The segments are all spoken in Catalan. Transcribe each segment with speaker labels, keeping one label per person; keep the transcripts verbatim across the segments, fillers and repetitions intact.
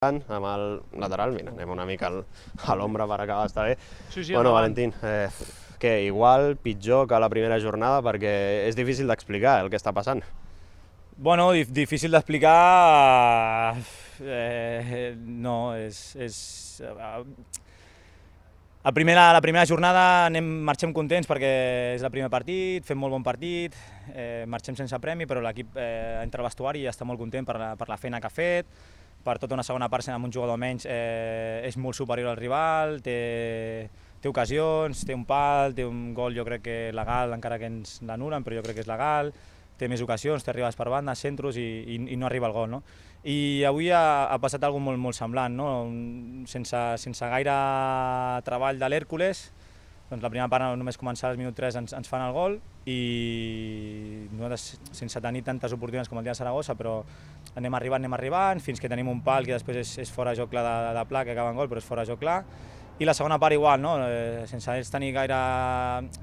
Speaker 1: amb el lateral, mira, anem una mica a l'ombra per acabar d'estar bé.
Speaker 2: Sí, sí,
Speaker 1: bueno,
Speaker 2: endavant.
Speaker 1: Valentín, eh, què, igual, pitjor que la primera jornada, perquè és difícil d'explicar el que està passant.
Speaker 2: Bueno, dif difícil d'explicar... Eh, no, és... és eh, a primera, la primera jornada anem, marxem contents perquè és el primer partit, fem molt bon partit, eh, marxem sense premi, però l'equip eh, entra al vestuari i està molt content per la, per la feina que ha fet, per tota una segona part amb un jugador menys eh, és molt superior al rival, té, té ocasions, té un pal, té un gol jo crec que legal, encara que ens l'anulen, però jo crec que és legal, té més ocasions, té arribades per banda, centros i, i, i no arriba al gol. No? I avui ha, ha passat alguna cosa molt, molt semblant, no? sense, sense gaire treball de l'Hèrcules, doncs la primera part només començar al minut tres ens, ens fan el gol i nosaltres sense tenir tantes oportunitats com el dia de Saragossa, però anem arribant, anem arribant, fins que tenim un pal que després és, és fora de joc clar de, de pla, que acaba en gol, però és fora de joc clar. I la segona part igual, no? eh, sense ells tenir gaire,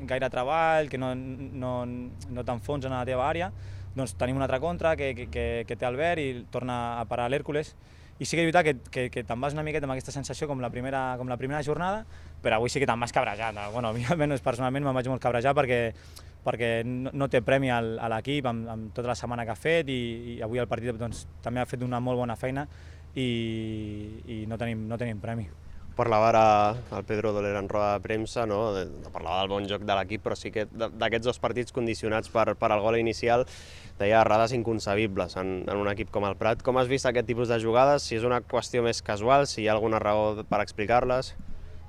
Speaker 2: gaire treball, que no, no, no t'enfonsen a la teva àrea, doncs tenim un altre contra que, que, que, que té Albert i torna a parar l'Hèrcules. I sí que és veritat que, que, que te'n vas una miqueta amb aquesta sensació com la primera, com la primera jornada, però avui sí que te'n vas cabrejat. Bueno, a mi almenys personalment me'n vaig molt cabrejar perquè, perquè no, no té premi al, a l'equip amb, amb tota la setmana que ha fet i, i avui el partit doncs, també ha fet una molt bona feina i, i no, tenim, no tenim premi.
Speaker 1: Parlava ara el Pedro Doler en roda de premsa, no? Parlava del bon joc de l'equip, però sí que d'aquests dos partits condicionats per, per al gol inicial, deia errades inconcebibles en, en un equip com el Prat. Com has vist aquest tipus de jugades? Si és una qüestió més casual, si hi ha alguna raó per explicar-les?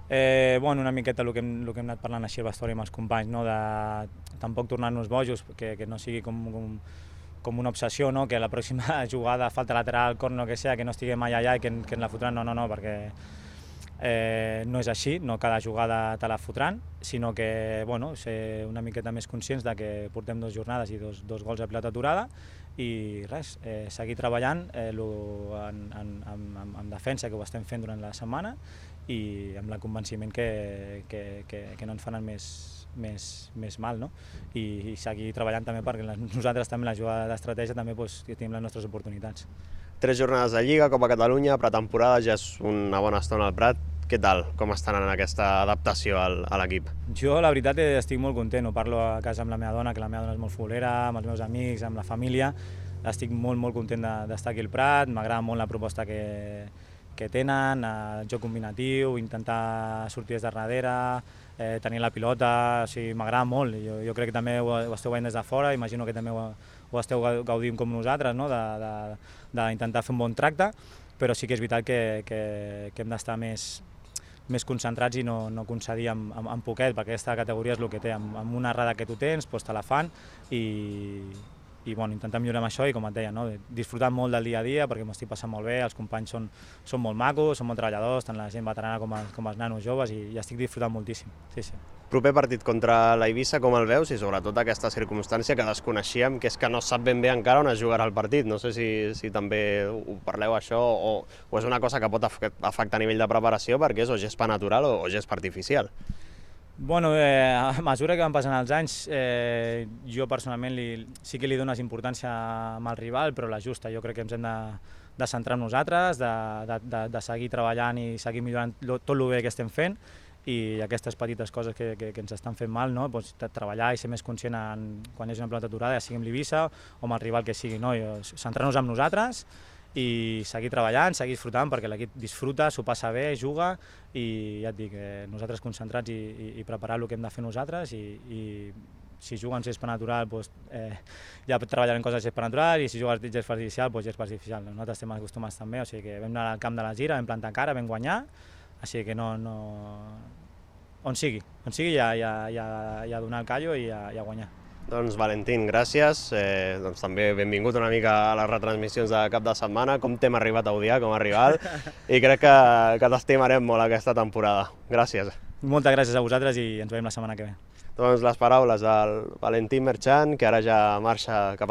Speaker 2: Eh, bueno, una miqueta el que, hem, el que hem anat parlant així al vestuari amb els companys, no? De tampoc tornar-nos bojos, que, que no sigui com, com, com una obsessió, no? Que la pròxima jugada, falta lateral, corno, que sea, que no estiguem mai allà i que, que ens la fotran, no, no, no, perquè Eh, no és així, no cada jugada te la fotran, sinó que bueno, ser una miqueta més conscients de que portem dues jornades i dos, dos gols a pilota aturada i res, eh, seguir treballant eh, lo, en, en, en, en defensa, que ho estem fent durant la setmana i amb el convenciment que, que, que, que no ens faran més, més, més mal, no? I, i seguir treballant també perquè nosaltres també la jugada d'estratègia també pues, tenim les nostres oportunitats.
Speaker 1: Tres jornades de Lliga, Copa Catalunya, pretemporada, ja és una bona estona al Prat. Què tal? Com estan en aquesta adaptació al, a l'equip?
Speaker 2: Jo, la veritat, estic molt content. Ho parlo a casa amb la meva dona, que la meva dona és molt futbolera, amb els meus amics, amb la família. Estic molt, molt content d'estar aquí al Prat, m'agrada molt la proposta que, que tenen, el joc combinatiu, intentar sortir des de darrere, eh, tenir la pilota, o sigui, m'agrada molt. Jo, jo crec que també ho, ho esteu veient des de fora, imagino que també ho, ho esteu gaudint com nosaltres, no? d'intentar fer un bon tracte, però sí que és veritat que, que, que hem d'estar més, més concentrats i no, no concedir amb, amb, amb poquet, perquè aquesta categoria és el que té, amb, amb una errada que tu tens, doncs te la fan i, i bueno, intentar millorar amb això i com et deia, no? Disfrutar molt del dia a dia perquè m'ho estic passant molt bé, els companys són, són molt macos, són molt treballadors, tant la gent veterana com, a, com els nanos joves i, i estic disfrutant moltíssim. Sí, sí.
Speaker 1: Proper partit contra l'Eivissa, com el veus? I sobretot aquesta circumstància que desconeixíem, que és que no sap ben bé encara on es jugarà el partit. No sé si, si també ho parleu això o, o és una cosa que pot afectar a nivell de preparació perquè és o gespa natural o, o gespa artificial.
Speaker 2: Bueno, eh, a mesura que van passant els anys, eh, jo personalment li, sí que li dones importància amb el rival, però la justa. Jo crec que ens hem de, de centrar en nosaltres, de, de, de, de seguir treballant i seguir millorant tot el bé que estem fent i aquestes petites coses que, que, que ens estan fent mal, no? Pues, treballar i ser més conscient en, quan és una pilota aturada, ja sigui amb l'Eivissa o amb el rival que sigui. No? Centrar-nos en nosaltres i seguir treballant, seguir disfrutant, perquè l'equip disfruta, s'ho passa bé, juga i ja et dic, eh, nosaltres concentrats i, i, i preparar el que hem de fer nosaltres i, i si juguen gespa natural, doncs, eh, ja treballarem coses de gespa natural i si juguen gespa artificial, doncs gespa artificial. Nosaltres estem acostumats també, o sigui que vam anar al camp de la Gira, vam plantar cara, vam guanyar, així que no, no... on sigui, on sigui ja, ja, ja, ja donar el callo i ja, ja guanyar.
Speaker 1: Doncs Valentín, gràcies. Eh, doncs també benvingut una mica a les retransmissions de cap de setmana. Com t'hem arribat a odiar com a rival i crec que, que t'estimarem molt aquesta temporada. Gràcies.
Speaker 2: Moltes gràcies a vosaltres i ens veiem la setmana que ve.
Speaker 1: Doncs les paraules del Valentín Merchan, que ara ja marxa cap a